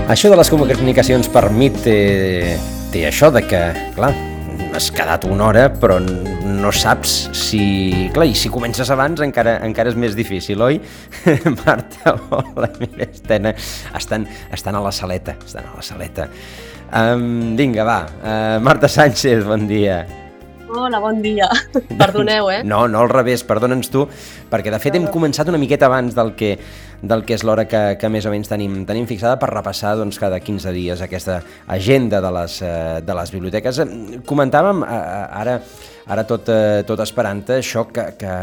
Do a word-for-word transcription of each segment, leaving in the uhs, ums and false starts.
Això de les comunicacions per Meet té, té això de que, clar, has quedat una hora, però no saps si... Clar, i si comences abans encara, encara és més difícil, oi? Marta, hola, mira, estan, estan, estan a la saleta, estan a la saleta. Um, vinga, va, uh, Marta Sánchez, bon dia. Hola, bon dia. Perdoneu, eh? No, no al revés, perdona'ns tu, perquè de fet hem començat una miqueta abans del que, del que és l'hora que, que més o menys tenim, tenim fixada per repassar doncs, cada quinze dies aquesta agenda de les, de les biblioteques. Comentàvem ara, ara tot, tot esperant-te això que, que,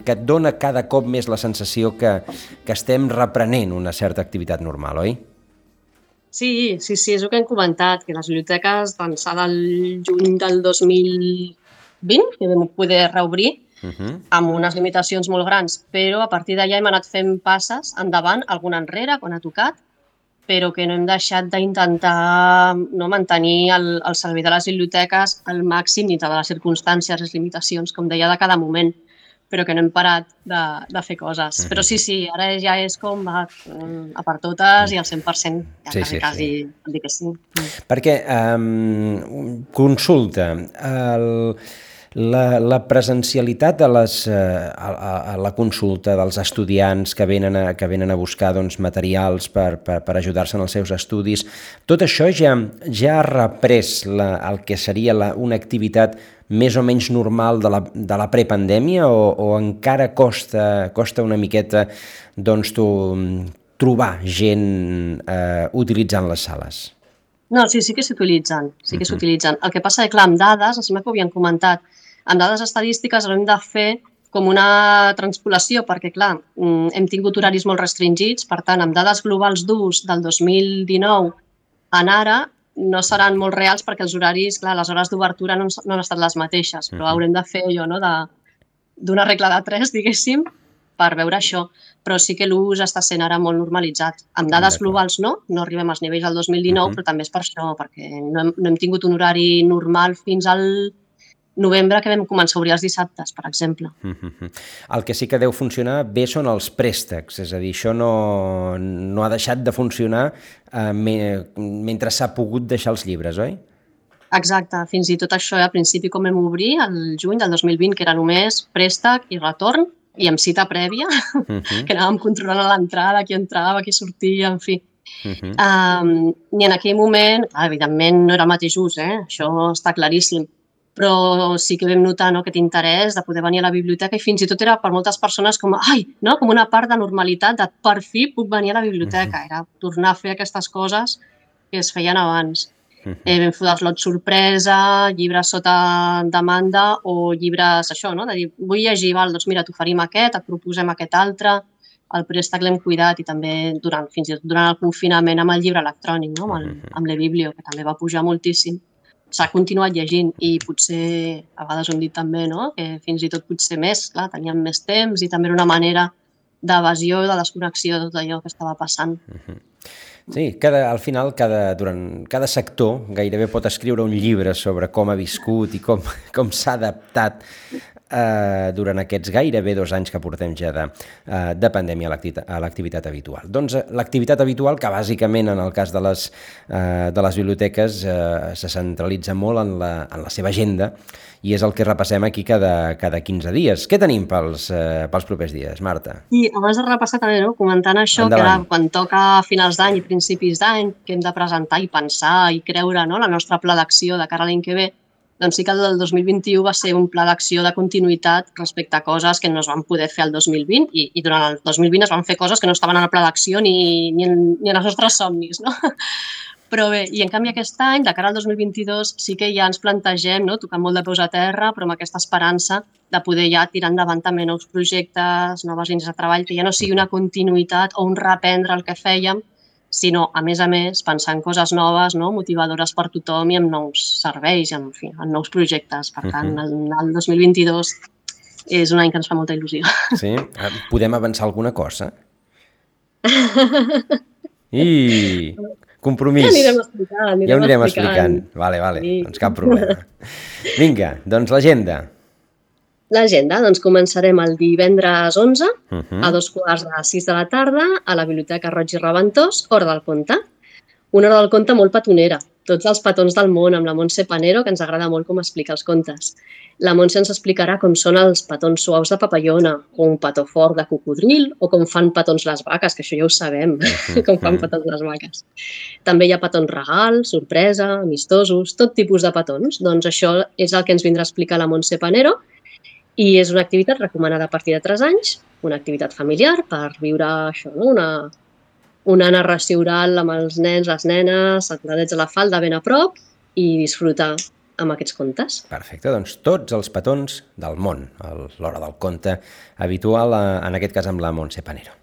que et dona cada cop més la sensació que, que estem reprenent una certa activitat normal, oi? Sí, sí, sí, és el que hem comentat, que les biblioteques d'ençà del juny del dos mil vint, que vam poder reobrir, uh-huh. amb unes limitacions molt grans, però a partir d'allà hem anat fent passes endavant, alguna enrere, quan ha tocat, però que no hem deixat d'intentar no, mantenir el, el servei de les biblioteques al màxim dintre de les circumstàncies, les limitacions, com deia, de cada moment, però que no hem parat de, de fer coses. Uh-huh. Però sí, sí, ara ja és com va, a per totes i al cent per cent, ja sí, quasi, sí, quasi, sí. Dir que sí. Perquè, um, consulta, el, la, la presencialitat a, les, a, a la consulta dels estudiants que venen a, que venen a buscar doncs, materials per, per, per ajudar-se en els seus estudis, tot això ja, ja ha reprès la, el que seria la, una activitat més o menys normal de la, de la prepandèmia o, o encara costa, costa una miqueta doncs, tu, trobar gent eh, utilitzant les sales? No, sí, sí que s'utilitzen, sí que uh-huh. s'utilitzen. El que passa és que, clar, amb dades, em sembla que ho havíem comentat, amb dades estadístiques hem de fer com una transpolació, perquè, clar, hem tingut horaris molt restringits, per tant, amb dades globals d'ús del dos mil dinou en ara, no seran molt reals perquè els horaris, clar, les hores d'obertura no, no han estat les mateixes, però haurem de fer allò, no?, d'una regla de tres, diguéssim, per veure això. Però sí que l'ús està sent ara molt normalitzat. Amb dades globals no, no arribem als nivells del dos mil dinou, uh-huh. però també és per això, perquè no hem, no hem tingut un horari normal fins al novembre, que vam començar a obrir els dissabtes, per exemple. Uh-huh. El que sí que deu funcionar bé són els préstecs, és a dir, això no, no ha deixat de funcionar eh, me, mentre s'ha pogut deixar els llibres, oi? Exacte, fins i tot això, al principi com vam obrir, el juny del dos mil vint, que era només préstec i retorn, i amb cita prèvia, uh-huh. que anàvem controlant a l'entrada, qui entrava, qui sortia, en fi. Uh-huh. Um, I en aquell moment, evidentment no era el mateix ús, eh? Això està claríssim, però sí que vam notar, no, aquest interès de poder venir a la biblioteca i fins i tot era per moltes persones com, ai, no, com una part de normalitat de per fi puc venir a la biblioteca, era tornar a fer aquestes coses que es feien abans. Uh-huh. Eh, vam fer els lots sorpresa, llibres sota demanda o llibres, això, no, de dir, vull llegir, val, doncs mira, t'oferim aquest, et proposem aquest altre, el préstec l'hem cuidat i també durant, fins i tot durant el confinament amb el llibre electrònic, no, amb, el, amb l'e-biblio, que també va pujar moltíssim. S'ha continuat llegint i potser, a vegades ho hem dit també, no? Que fins i tot potser més, clar, teníem més temps i també era una manera d'evasió i de desconnexió de tot allò que estava passant. Uh-huh. Sí, cada, al final cada, durant, cada sector gairebé pot escriure un llibre sobre com ha viscut i com, com s'ha adaptat eh, durant aquests gairebé dos anys que portem ja de, eh, de pandèmia a l'activitat habitual. Doncs l'activitat habitual, que bàsicament en el cas de les, eh, de les biblioteques eh, se centralitza molt en la, en la seva agenda i és el que repassem aquí cada, cada quinze dies. Què tenim pels, eh, pels propers dies, Marta? I abans de repassar també, no, comentant això, endavant. Que era quan toca finals d'any i principis d'any, que hem de presentar i pensar i creure, no, la nostra pla d'acció de cara a l'any que ve, doncs sí que el del dos mil vint-i-u va ser un pla d'acció de continuïtat respecte a coses que no es van poder fer el dos mil vint i, i durant el dos mil vint es van fer coses que no estaven en el pla d'acció ni, ni, en, ni en els nostres somnis, no? Però bé, i en canvi aquest any, de cara al dos mil vint-i-dos, sí que ja ens plantegem, no, tocant molt de peus a terra, però amb aquesta esperança de poder ja tirar endavant també nous projectes, noves línies de treball, que ja no sigui una continuïtat o un reprendre el que fèiem, sinó, a més a més, pensar en coses noves, no, motivadores per tothom i en nous serveis, en, fi, en nous projectes. Per tant, el, el dos mil vint-i-dos és un any que ens fa molta il·lusió. Sí? Podem avançar alguna cosa? I... compromís. Ja anirem explicant. Anirem ja ho anirem explicant. explicant. explicant. Vale, vale, sí. Doncs cap problema. Vinga, doncs l'agenda. Doncs L'agenda, doncs començarem el divendres onze Uh -huh. a dos quarts de sis de la tarda a la Biblioteca Roig i Raventós, Hora del Conte. Una hora del conte molt petonera, tots els petons del món, amb la Montse Panero, que ens agrada molt com explica els contes. La Montse ens explicarà com són els petons suaus de papallona, o un petó fort de cocodril, o com fan petons les vaques, que això ja ho sabem, uh -huh. com fan petons les vaques. També hi ha petons regal, sorpresa, amistosos, tot tipus de petons. Doncs això és el que ens vindrà a explicar la Montse Panero, i és una activitat recomanada a partir de tres anys, una activitat familiar per viure això, no? una, una narració oral amb els nens, les nenes, acudadets a la falda ben a prop i disfrutar amb aquests contes. Perfecte, doncs tots els petons del món, l'hora del conte habitual, en aquest cas amb la Montse Panero.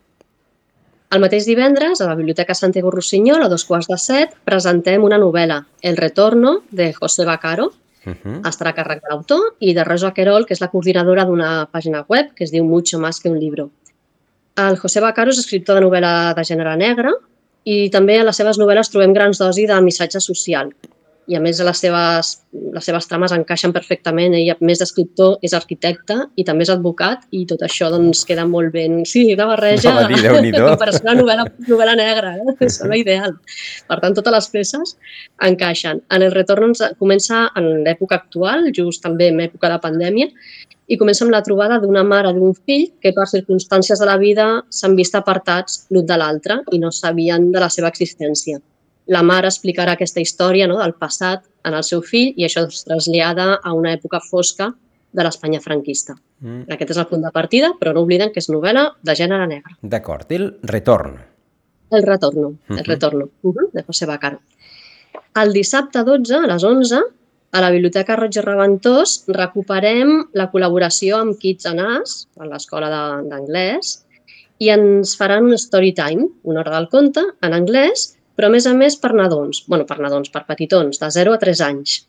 El mateix divendres, a la Biblioteca Santiago Rossinyol, a dos quarts de set, presentem una novel·la, El retorno, de José Vaccaro. Uh -huh. Estarà a càrrec de l'autor i de Rosa Querol, que és la coordinadora d'una pàgina web que es diu Mucho más que un libro. El José Vaccaro és escriptor de novel·la de gènere negre i també a les seves novel·les trobem grans dosis de missatge social. I a més les seves, les seves trames encaixen perfectament. Ell, a més d'escriptor, és arquitecte i també és advocat i tot això doncs queda molt ben... Sí, una barreja no, dir, en comparació a la novel·la, novel·la negra. Eh? Sembla ideal. Per tant, totes les peces encaixen. En El retorn ens comença en l'època actual, just també en època de pandèmia, i comença amb la trobada d'una mare i d'un fill que per circumstàncies de la vida s'han vist apartats l'un de l'altre i no sabien de la seva existència. La mare explicarà aquesta història, no?, del passat en el seu fill i això es trasllada a una època fosca de l'Espanya franquista. Mm. Aquest és el punt de partida, però no obliden que és novel·la de gènere negre. D'acord. El retorn. El retorno, uh -huh. el retorno, uh -huh, de José Vaccaro. El dissabte dotze, a les onze, a la Biblioteca Roig i Raventós recuperem la col·laboració amb Kids and Us, a l'escola d'anglès, i ens faran un story time, una hora del conte, en anglès, però a més a més per nadons, bueno, per nadons, per petitons, de zero a tres anys.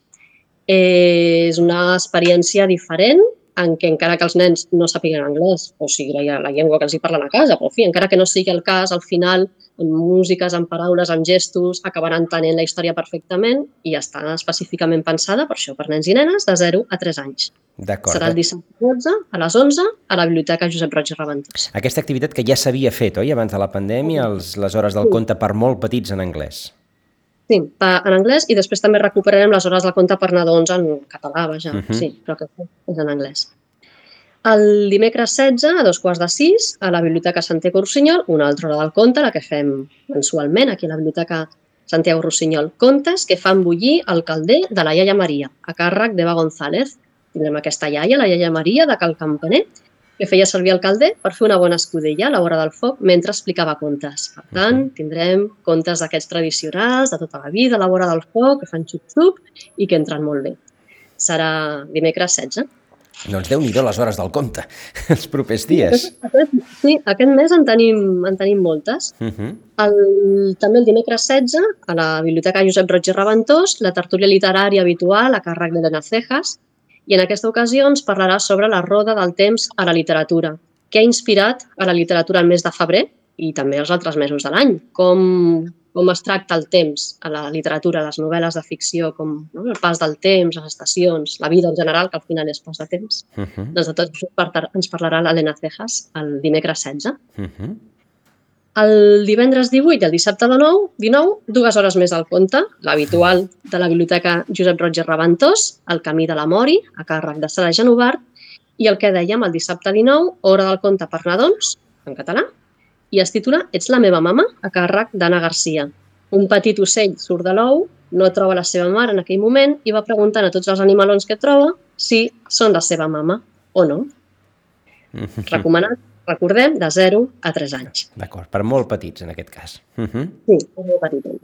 Eh, és una experiència diferent en què encara que els nens no sàpiguen anglès, o sigui, la, la llengua que els hi parlen a casa, però en fi, encara que no sigui el cas, al final, amb músiques, amb paraules, amb gestos, acabaran entenent la història perfectament i està específicament pensada per això, per nens i nenes de zero a tres anys. D'acord. Serà el dissabte dotze a les onze a la Biblioteca Josep Roig i Raventós. Aquesta activitat que ja s'havia fet, oi, abans de la pandèmia, els, les hores del sí. conte per molt petits en anglès. Sí, en anglès i després també recuperarem les hores del conte per nadons en català, vaja, uh -huh. sí, però que és en anglès. El dimecres setze, a dos quarts de sis, a la Biblioteca Santiago Rossinyol, una altra hora del conte, la que fem mensualment aquí a la Biblioteca Santiago Rossinyol. Contes que fan bullir el calder de la iaia Maria, a càrrec d'Eva González. Tindrem aquesta iaia, la iaia Maria, de Cal Campaner, que feia servir el calder per fer una bona escudella a la vora del foc mentre explicava contes. Per tant, tindrem contes d'aquests tradicionals, de tota la vida, a la vora del foc, que fan xup-xup i que entren molt bé. Serà dimecres setze. Doncs Déu-n'hi-do les hores del conte, els propers dies. Aquest, sí, aquest mes en tenim, en tenim moltes. Uh -huh. el, també el dimecres setze, a la Biblioteca Josep Roig i Raventós, la tertúlia literària habitual a càrrec d'Elena Cejas, i en aquesta ocasió ens parlarà sobre la roda del temps a la literatura, què ha inspirat a la literatura el mes de febrer i també els altres mesos de l'any, com, com es tracta el temps a la literatura, les novel·les de ficció, com no, el pas del temps, les estacions, la vida en general, que al final és pas de temps. Uh -huh. Doncs de tot això ens parlarà l'Elena Cejas el dimecres setze. Uh -huh. El divendres divuit i el dissabte de nou, dinou, dues hores més al conte, l'habitual de la Biblioteca Josep Roig i Raventós, El camí de la Mori, a càrrec de Sara Genovart, i el que dèiem el dissabte dinou, hora del conte per nadons, en català, i es titula Ets la meva mama, a càrrec d'Anna Garcia. Un petit ocell surt de l'ou, no troba la seva mare en aquell moment i va preguntant a tots els animalons que troba si són la seva mama o no. Recomanat, recordem, de zero a tres anys. D'acord, per molt petits en aquest cas. Uh -huh. Sí, per molt petits.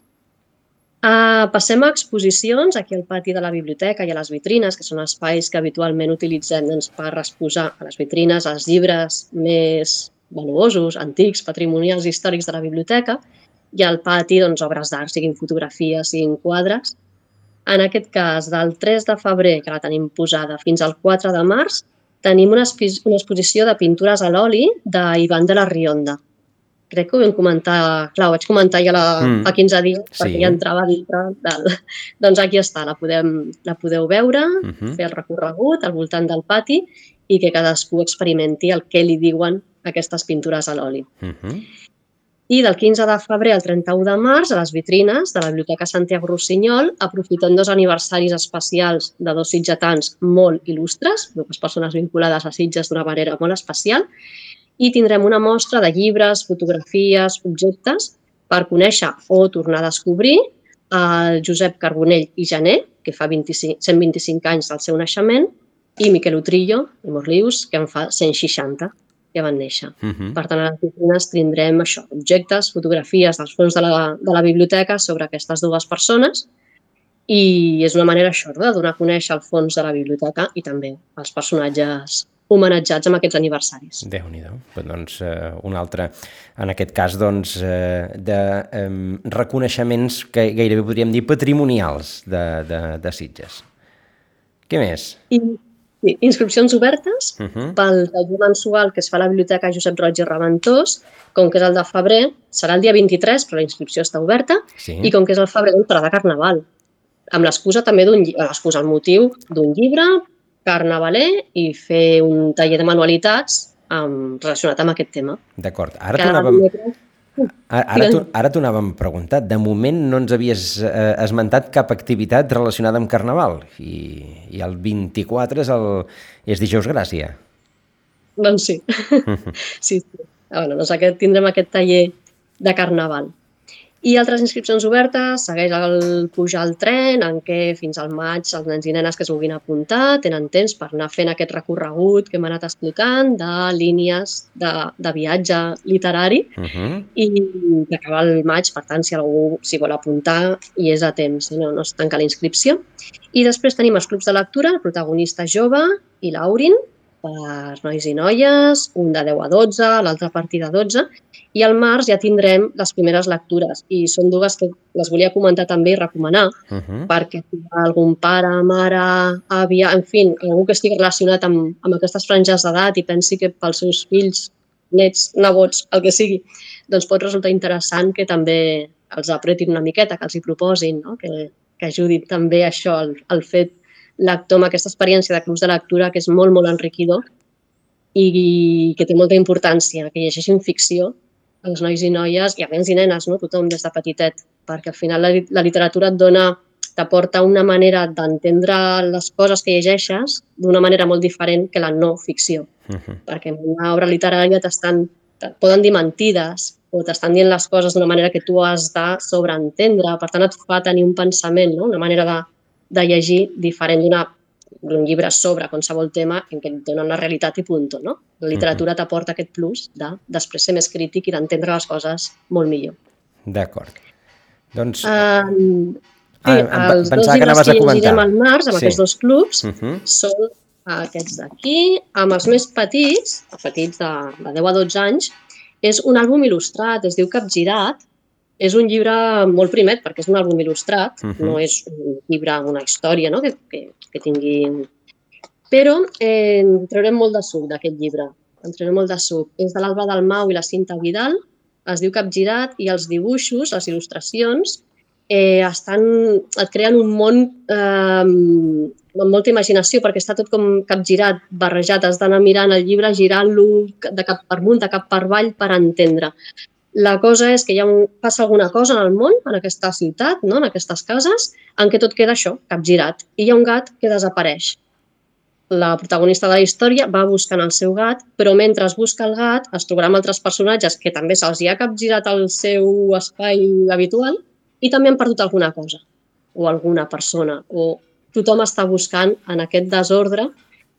Uh, passem a exposicions aquí al pati de la biblioteca i a les vitrines, que són espais que habitualment utilitzem doncs, per exposar a les vitrines els llibres més valuosos, antics, patrimonials, històrics de la biblioteca, i al pati doncs, obres d'art, siguin fotografies, siguin quadres. En aquest cas, del tres de febrer, que la tenim posada, fins al quatre de març, tenim una, una exposició de pintures a l'oli d'Ivan de la Rionda. crec que ho vam comentar, clar, ho vaig comentar ja la, mm. fa quinze dies, perquè sí. Ja entrava dintre del... Doncs aquí està, la, podem, la podeu veure, uh -huh. fer el recorregut al voltant del pati i que cadascú experimenti el que li diuen aquestes pintures a l'oli. Uh -huh. I del quinze de febrer al trenta-u de març, a les vitrines de la Biblioteca Santiago Rossinyol, aprofitant dos aniversaris especials de dos sitgetans molt il·lustres, dues persones vinculades a Sitges d'una manera molt especial, i tindrem una mostra de llibres, fotografies, objectes per conèixer o tornar a descobrir el Josep Carbonell i Jané, que fa vint-i-cinc, cent vint-i-cinc anys del seu naixement, i Miquel Utrillo i Morlius, que en fa cent seixanta, que van néixer. Uh -huh. Per tant, a les vitrines tindrem això, objectes, fotografies dels fons de la, de la biblioteca sobre aquestes dues persones i és una manera això, de donar a conèixer el fons de la biblioteca i també els personatges homenatjats amb aquests aniversaris. Déu-n'hi-do. Pues, doncs, eh, un altre, en aquest cas, doncs, eh, de eh, reconeixements que gairebé podríem dir patrimonials de, de, de Sitges. Què més? I, sí, inscripcions obertes uh -huh. pel taller mensual que es fa a la Biblioteca Josep Roig i Reventós, com que és el de febrer, serà el dia vint-i-tres, però la inscripció està oberta, sí. I com que és el febrer, un de carnaval, amb l'excusa també d'un l'excusa, el motiu d'un llibre carnavaler i fer un taller de manualitats amb, relacionat amb aquest tema. D'acord. Ara t'ho anàvem... Ara, ara t'ho anàvem preguntat. De moment no ens havies eh, esmentat cap activitat relacionada amb Carnaval i, i el vint-i-quatre és, el, és dijous Gràcia. Doncs sí. sí, sí. Bueno, doncs aquest, tindrem aquest taller de Carnaval. I altres inscripcions obertes, segueix el pujar al tren, en què fins al maig els nens i nenes que es vulguin apuntar tenen temps per anar fent aquest recorregut que hem anat explicant de línies de, de viatge literari uh -huh. i que acaba el maig, per tant, si algú s'hi vol apuntar i és a temps, no, no es tanca la inscripció. I després tenim els clubs de lectura, el protagonista jove i l'Aurin, per nois i noies, un de deu a dotze, l'altre a partir de dotze, i al març ja tindrem les primeres lectures i són dues que les volia comentar també i recomanar uh -huh. perquè si hi ha algun pare, mare, àvia, en fi, algú que estigui relacionat amb, amb aquestes franges d'edat i pensi que pels seus fills, nets, nebots, el que sigui, doncs pot resultar interessant que també els apretin una miqueta, que els hi proposin, no? que, que ajudin també això, el, el fet lector amb aquesta experiència de clubs de lectura que és molt, molt enriquidor i que té molta importància, que llegeixin ficció els nois i noies, i a nens i nenes, no? Tothom des de petitet, perquè al final la, la literatura et dona, t'aporta una manera d'entendre les coses que llegeixes d'una manera molt diferent que la no ficció. Uh-huh. Perquè en una obra literària t'estan, et poden dir mentides o t'estan dient les coses d'una manera que tu has de sobreentendre, per tant et fa tenir un pensament, no? Una manera de, de llegir diferent d'un llibre sobre qualsevol tema en què et donen la realitat i punt, no? La literatura uh-huh. t'aporta aquest plus de després ser més crític i d'entendre les coses molt millor. D'acord. Doncs... Um, sí, ah, els dos llibres que llegirem al març amb sí. aquests dos clubs uh-huh. són aquests d'aquí, amb els més petits, els petits de, de deu a dotze anys, és un àlbum il·lustrat, es diu Capgirat. És un llibre molt primet perquè és un àlbum il·lustrat, uh-huh. no és un llibre amb una història, no? que, que, que tingui... Però eh, en traurem molt de suc d'aquest llibre, en traurem molt de suc. És de l'Alba Dalmau i la Cinta Vidal, es diu Capgirat i els dibuixos, les il·lustracions, eh, estan, et creen un món eh, amb molta imaginació perquè està tot com capgirat, barrejat, has d'anar mirant el llibre, girant-lo de cap per amunt, de cap per avall per entendre. La cosa és que hi ha un, passa alguna cosa en el món, en aquesta ciutat, no? En aquestes cases, en què tot queda això, capgirat. I hi ha un gat que desapareix. La protagonista de la història va buscant el seu gat, però mentre es busca el gat es trobarà amb altres personatges que també se'ls hi ha capgirat el seu espai habitual i també han perdut alguna cosa, o alguna persona, o tothom està buscant en aquest desordre.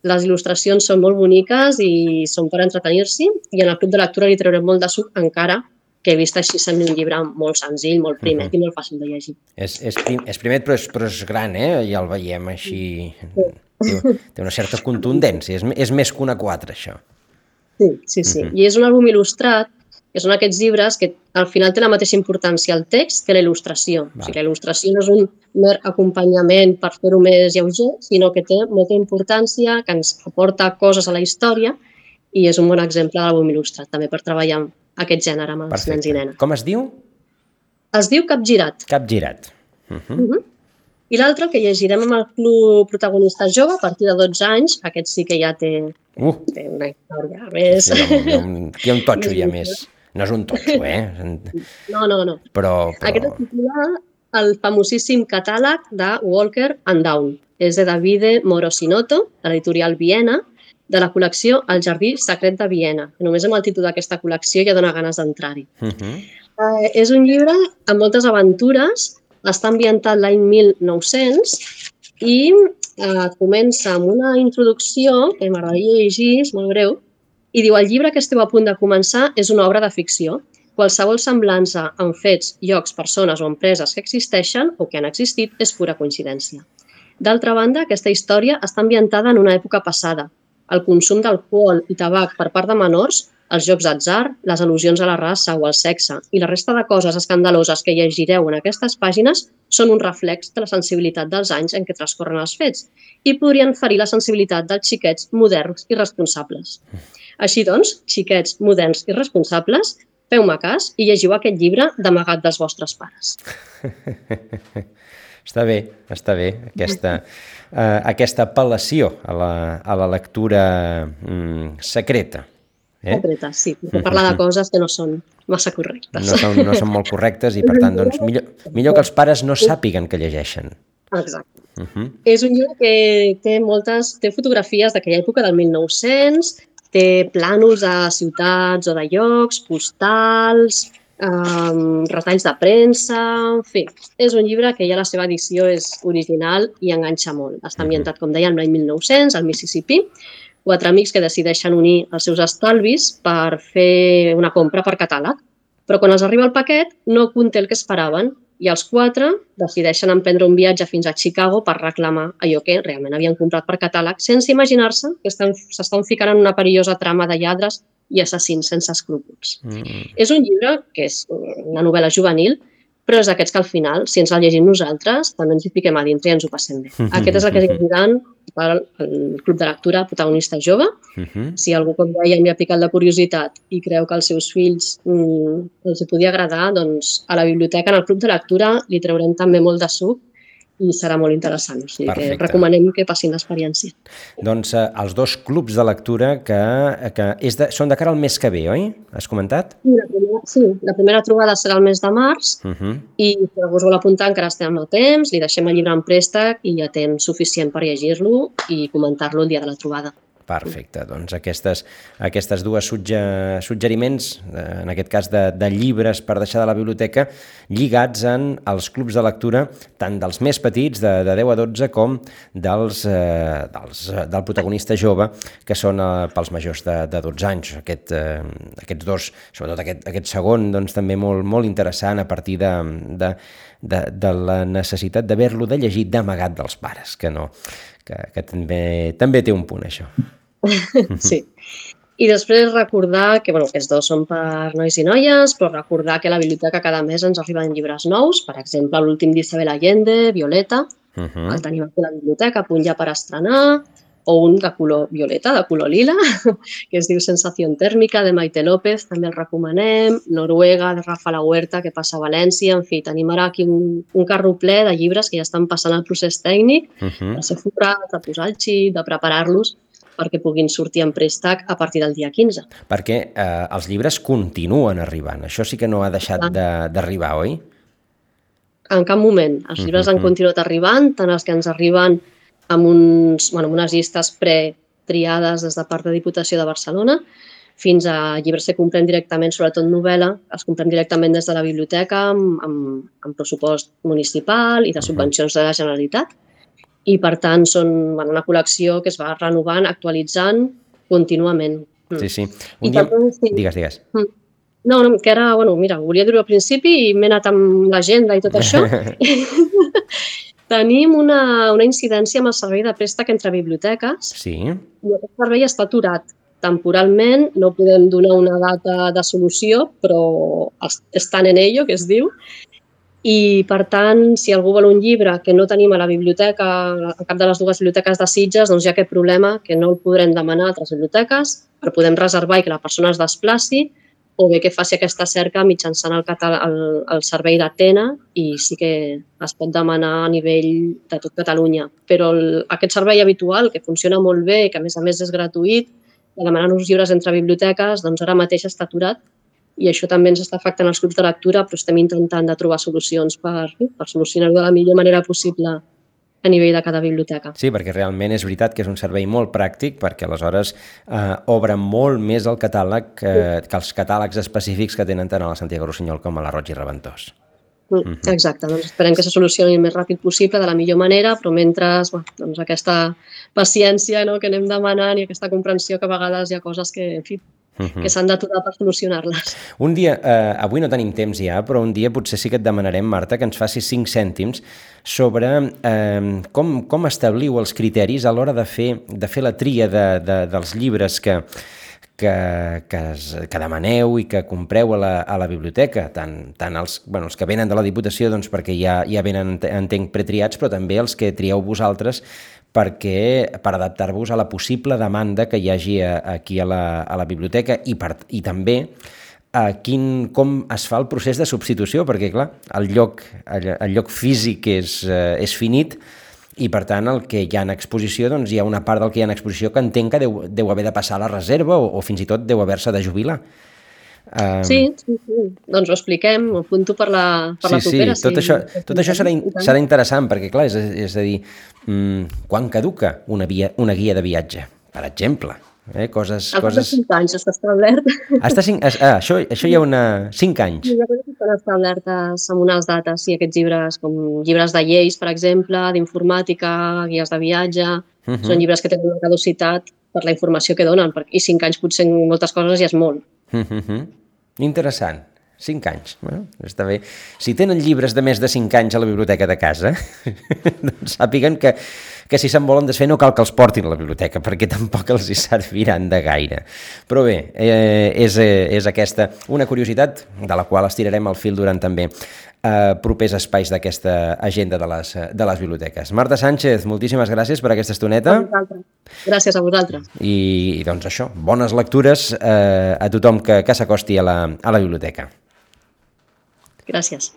Les il·lustracions són molt boniques i són per entretenir-s'hi i en el club de lectura li traurem molt de suc, encara que he vist així sembla un llibre molt senzill, molt primet uh-huh. i molt fàcil de llegir. És, és, prim, és primet però és, però és gran, eh? Ja el veiem així... Sí. Té, té una certa contundència, és, és més que una quatre, això. Sí, sí, sí. Uh-huh. I és un àlbum il·lustrat, que són aquests llibres que al final té la mateixa importància el text que la il·lustració. Val. O sigui, la il·lustració no és un mer acompanyament per fer-ho més lleuger, sinó que té molta importància, que ens aporta coses a la història i és un bon exemple d'àlbum il·lustrat, també per treballar aquest gènere amb els Perfecte. nens i nenes. Com es diu? Es diu Capgirat. Capgirat. Uh -huh. Uh -huh. I l'altre, que llegirem amb el club protagonista jove, a partir de dotze anys, aquest sí que ja té, Uh. té una història més... Sí, hi ha un, aquí hi ha un totxo ja més. No és un totxo, eh? No, no, no. Però, però... Aquest es titula el famosíssim catàleg de Walker and Dawn. És de Davide Morosinotto, de l'editorial Viena, de la col·lecció El jardí secret de Viena. Només amb el títol d'aquesta col·lecció ja dona ganes d'entrar-hi. Uh -huh. eh, és un llibre amb moltes aventures, està ambientat l'any mil nou-cents i eh, comença amb una introducció que m'agradaria llegir, és molt breu, i diu: el llibre que esteu a punt de començar és una obra de ficció. Qualsevol semblança amb fets, llocs, persones o empreses que existeixen o que han existit és pura coincidència. D'altra banda, aquesta història està ambientada en una època passada. El consum d'alcohol i tabac per part de menors, els jocs d'atzar, les al·lusions a la raça o al sexe i la resta de coses escandaloses que llegireu en aquestes pàgines són un reflex de la sensibilitat dels anys en què transcorren els fets i podrien ferir la sensibilitat dels xiquets moderns i responsables. Així doncs, xiquets moderns i responsables, feu-me cas i llegiu aquest llibre d'amagat dels vostres pares. Està bé, està bé, aquesta, uh, aquesta apel·lació a la, a la lectura mm, secreta. Eh? Secreta, sí, perquè parlar de coses que no són massa correctes. No són, no són molt correctes i, per tant, doncs, millor, millor que els pares no sàpiguen que llegeixen. Exacte. Uh -huh. És un llibre que té moltes, té fotografies d'aquella època del mil nou-cents, té plànols de ciutats o de llocs, postals, Um, retalls de premsa, en fi, és un llibre que ja la seva edició és original i enganxa molt. Està ambientat, com dèiem, l'any mil nou-cents, al Mississippi, quatre amics que decideixen unir els seus estalvis per fer una compra per catàleg, però quan els arriba el paquet no conté el que esperaven i els quatre decideixen emprendre un viatge fins a Chicago per reclamar allò que realment havien comprat per catàleg sense imaginar-se que s'estan ficant en una perillosa trama de lladres i assassins sense escrúpols. Mm. És un llibre que és una novel·la juvenil, però és d'aquests que al final, si ens el llegim nosaltres, també ens hi fiquem a dintre i ens ho passem bé. Aquest és el que llegiran pel Club de Lectura Protagonista Jove. Uh-huh. Si algú, com dèiem, li ha picat la curiositat i creu que als seus fills mm, els podia agradar, doncs a la biblioteca, en el Club de Lectura, li traurem també molt de suc i serà molt interessant. O sigui que recomanem que passin l'experiència. Doncs eh, els dos clubs de lectura que, que és de, són de cara al mes que ve, oi? Has comentat? Sí, la primera, sí, la primera trobada serà el mes de març uh-huh. i si algú us vol apuntar encara estem a temps, li deixem el llibre en préstec i ja temps suficient per llegir-lo i comentar-lo el dia de la trobada. Perfecte, doncs aquestes, aquestes dues sugge, suggeriments, en aquest cas de, de llibres per deixar de la biblioteca, lligats en els clubs de lectura, tant dels més petits, de, de deu a dotze, com dels, eh, dels, del protagonista jove, que són eh, pels majors de, de dotze anys. Aquest, eh, aquests dos, sobretot aquest, aquest segon, doncs també molt, molt interessant a partir de, de, de, de la necessitat d'haver-lo de llegir d'amagat dels pares, que no... que, que també, també té un punt, això. Sí. I després recordar que, bueno, aquests dos són per nois i noies, però recordar que a la biblioteca cada mes ens arriben llibres nous, per exemple, l'últim d'Isabel Allende, Violeta, uh -huh. el tenim aquí a la biblioteca, a punt ja per estrenar, o un de color violeta, de color lila, que es diu Sensació tèrmica, de Maite López, també el recomanem, Noruega, de Rafa La Huerta, que passa a València, en fi, tenim ara aquí un, un carro ple de llibres que ja estan passant el procés tècnic, uh -huh. de ser forrats, de posar el xip, de preparar-los perquè puguin sortir en préstec a partir del dia quinze. Perquè eh, els llibres continuen arribant, això sí que no ha deixat d'arribar, oi? En cap moment. Els llibres uh -huh. han continuat arribant, tant els que ens arriben amb, uns, bueno, amb unes llistes pretriades des de part de Diputació de Barcelona, fins a llibres que comprem directament, sobretot novel·la, els comprem directament des de la biblioteca amb, amb, amb pressupost municipal i de subvencions de la Generalitat. I, per tant, són bueno, una col·lecció que es va renovant, actualitzant contínuament. Sí, sí. Un dia... també, sí. Digues, digues. No, no, que ara, bueno, mira, volia dir-ho al principi i m'he anat amb l'agenda i tot això. Tenim una, una incidència amb el servei de préstec entre biblioteques. Sí. I aquest servei està aturat temporalment, no podem donar una data de solució, però estan en ello, que es diu. I, per tant, si algú vol un llibre que no tenim a la biblioteca, a cap de les dues biblioteques de Sitges, doncs hi ha aquest problema que no el podrem demanar a altres biblioteques, però podem reservar i que la persona es desplaci, o bé que faci aquesta cerca mitjançant el, català, el, el servei d'Atena i sí que es pot demanar a nivell de tot Catalunya. Però el, aquest servei habitual, que funciona molt bé i que a més a més és gratuït, de demanar uns llibres entre biblioteques, doncs ara mateix està aturat i això també ens està afectant els grups de lectura, però estem intentant de trobar solucions per, per solucionar-ho de la millor manera possible a nivell de cada biblioteca. Sí, perquè realment és veritat que és un servei molt pràctic perquè aleshores eh, obre molt més el catàleg eh, que els catàlegs específics que tenen tant a la Santiago Rossinyol com a la Roig i Reventós. Mm, mm-hmm. Exacte, doncs esperem que se solucioni el més ràpid possible, de la millor manera, però mentre bueno, doncs aquesta paciència, no?, que anem demanant i aquesta comprensió que a vegades hi ha coses que, en fi, que s'han d'aturar per solucionar-les. Un dia, eh, avui no tenim temps ja, però un dia potser sí que et demanarem, Marta, que ens facis cinc cèntims sobre eh, com, com establir els criteris a l'hora de fer, de fer la tria de, de, dels llibres que, que, que, es, que demaneu i que compreu a la, a la biblioteca, tant, tant els, bueno, els que venen de la Diputació, doncs perquè ja, ja venen, entenc, pretriats, però també els que trieu vosaltres perquè per adaptar-vos a la possible demanda que hi hagi a, aquí a la, a la biblioteca i, per, i també a quin, com es fa el procés de substitució, perquè clar, el lloc, el, el lloc físic és, eh, és finit i per tant el que hi ha en exposició, doncs hi ha una part del que hi ha en exposició que entenc que deu, deu haver de passar a la reserva o, o fins i tot deu haver-se de jubilar. Um... Sí, sí, sí, doncs ho expliquem, ho apunto per la, per sí, la propera. Sí, tot sí. això, tot això serà, serà interessant perquè, clar, és, és a dir, mmm, quan caduca una, via, una guia de viatge, per exemple? Eh, coses, Al coses... de cinc anys està establert. Està cinc... ah, això, això hi ha una... cinc anys. Sí, hi ha coses que estan establertes amb unes dates, sí, aquests llibres, com llibres de lleis, per exemple, d'informàtica, guies de viatge, uh-huh. Són llibres que tenen una caducitat per la informació que donen, i cinc anys potser en moltes coses ja és molt. Uh-huh. Interessant. cinc anys. Bueno, està bé. Si tenen llibres de més de cinc anys a la biblioteca de casa, doncs sàpiguen que, que si se'n volen desfer no cal que els portin a la biblioteca, perquè tampoc els hi serviran de gaire. Però bé, eh, és, eh, és aquesta una curiositat de la qual estirarem el fil durant també eh, propers espais d'aquesta agenda de les, de les biblioteques. Marta Sánchez, moltíssimes gràcies per aquesta estoneta. Gràcies a vosaltres. I, i doncs això, bones lectures eh, a tothom que, que s'acosti a la, a la biblioteca. Gràcies.